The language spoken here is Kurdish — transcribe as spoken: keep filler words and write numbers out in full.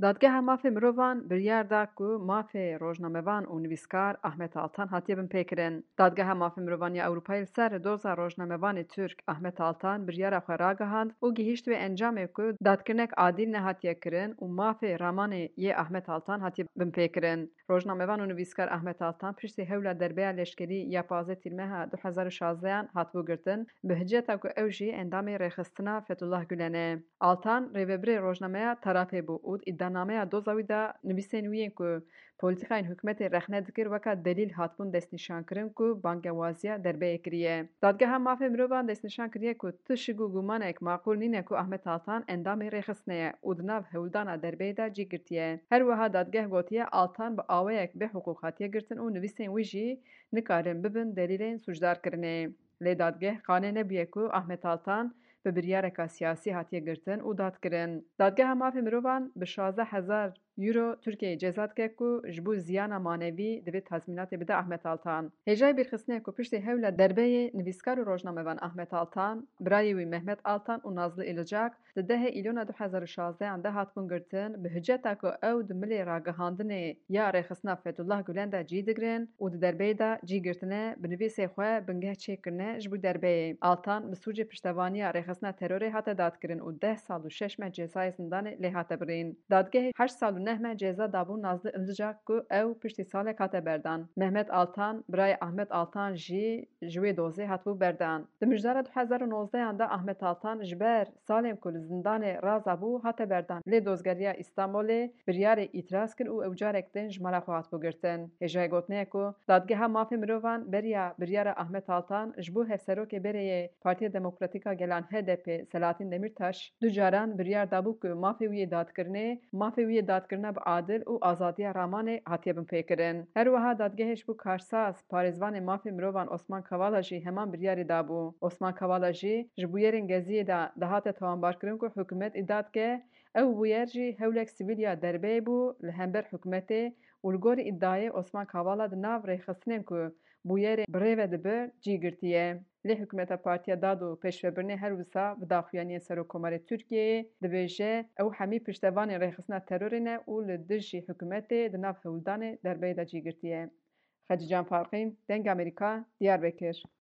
Dadgeha Mafê Mirovan biryar da ku mafê rojnamevan û nivîskar Ahmet Altan hatiye binpêkirin. Dadgeha Mafê Mirovan ya Ewropayê li ser doza rojnamevanê Tirk Ahmet Altan biryara xwe ragihand û gihîşt wê encamê ku dadkirinek adîl nehatiye kirin û mafê ramanê yê Ahmet Altan hatiye binpêkirin. Rojnamevan û nivîskar Ahmet Altan piştî hewla derbeya leşkerî ya pazdeh Tîrmeha du hezar û şazdehan hatibû girtin, bi hiceta ku ew jî endamê rêxistina Fethullah Gulen e. Altan rêvebirê rojnameya Tarafê bû û di îdianameya doza wî de nivîsên wî yên ku polîtîkayên hikûmetê rexne dikir weka delîl hatibûn destnîşankirin ku bangewaziya derbeyê kiriye. Dadgeha Mafê Mirovan destnîşan kiriye ku tişik û gumanek maqûl nîne ku Ahmet Altan endamê rêxistinê ye û di nav hewldana derbeyê de cî girtiye. Her wiha dadgeh gotiye Altan bi awayek bêhiqûq hatiye girtin û nivîsên wî jî nikarin bibin delîlên sûcdarkirinê. Lê dadgeh qane nebûye ku Ahmet Altan bi biryareka siyasî hatiye girtin û dadkirin. Dadgeha Mafê Mirovan bi şazdeh hezar euro Tirkiyeyê ceza dike ku ji bo ziyana manevî divê tazmînatê bide Ahmet Altan. Hêjayî bîrxistinê ku piştî hewla derbeyê nivîskar û rojnamevan Ahmet Altan, birayê wî Mehmet Altan û Nazlı Ilıcak di dehê Îlona du hezar û şazdehan de hatibûn girtin, bi hiceta ku ew di milê ragihandinê ya rêxistina Fethullah Gulen de cî digirin û di derbeyê de cî girtine, bi nivîsê xwe bingeh çêkirine ji bo derbeyê. Altan bi sûcê piştevaniya rêxistina terorê hate dadkirin û deh sal û şeş meh cezayê zindanê lê hate birîn. Dadgehê heşt sal û neh meh ceza dabû Nazlı Ilıcak ku ew piştî salek hate berdan. Mehmet Altan, birayê Ahmet Altan jî ji wê dozê hatibû berdan. Di mijdara du hezar û nozdehan de Ahmet Altan ji ber salên ku li zindanê razabû hate berdan. Lê Dozgeriya Îstanbulê biryarê îtiraz kir û ew carek din ji mala xwe hatibû girtin. Hêjayê gotinê ye ku Dadgeha Mafê Mirovan beriya biryara Ahmet Altan ji bo Hevserokê berê yê Partiya Demokratîk a Gelan H D P Selahattin Demirtaş du caran biryar dabû ku mafê wî yê dadkirinê, mafê wî yê dadkirina bi adil û azadiya ramanê hatiye binpêkirin. Her wiha dadgehê ji bo karsaz, parêzvanê mafê mirovan Osman Kavala jî heman biryarê dabû. Osman Kavala jî ji bûyerên Geziyê de dihate tawanbarkirin ku hikûmet îdia dike, ew bûyer jî hewlek sivîl ya derbeyê bû li hember hikûmetê û li gorî îdiayê Osman Kavala di nav rêxistinên ku bûyerê bi rê ve dibe cî girtiye. Lê hikûmeta Partiya Dad û Pêşvebirinê her wisa bi daxuyaniyên Serokkomarê Tirkiyeyê dibêje, ew hemî piştevanên rêxistina terorê ne û li dijî hikûmetê di nav hewldanê derbeyê de cî girtiye. Xecîcan Farqîn, Dengê Amerîka, Diyarbekir.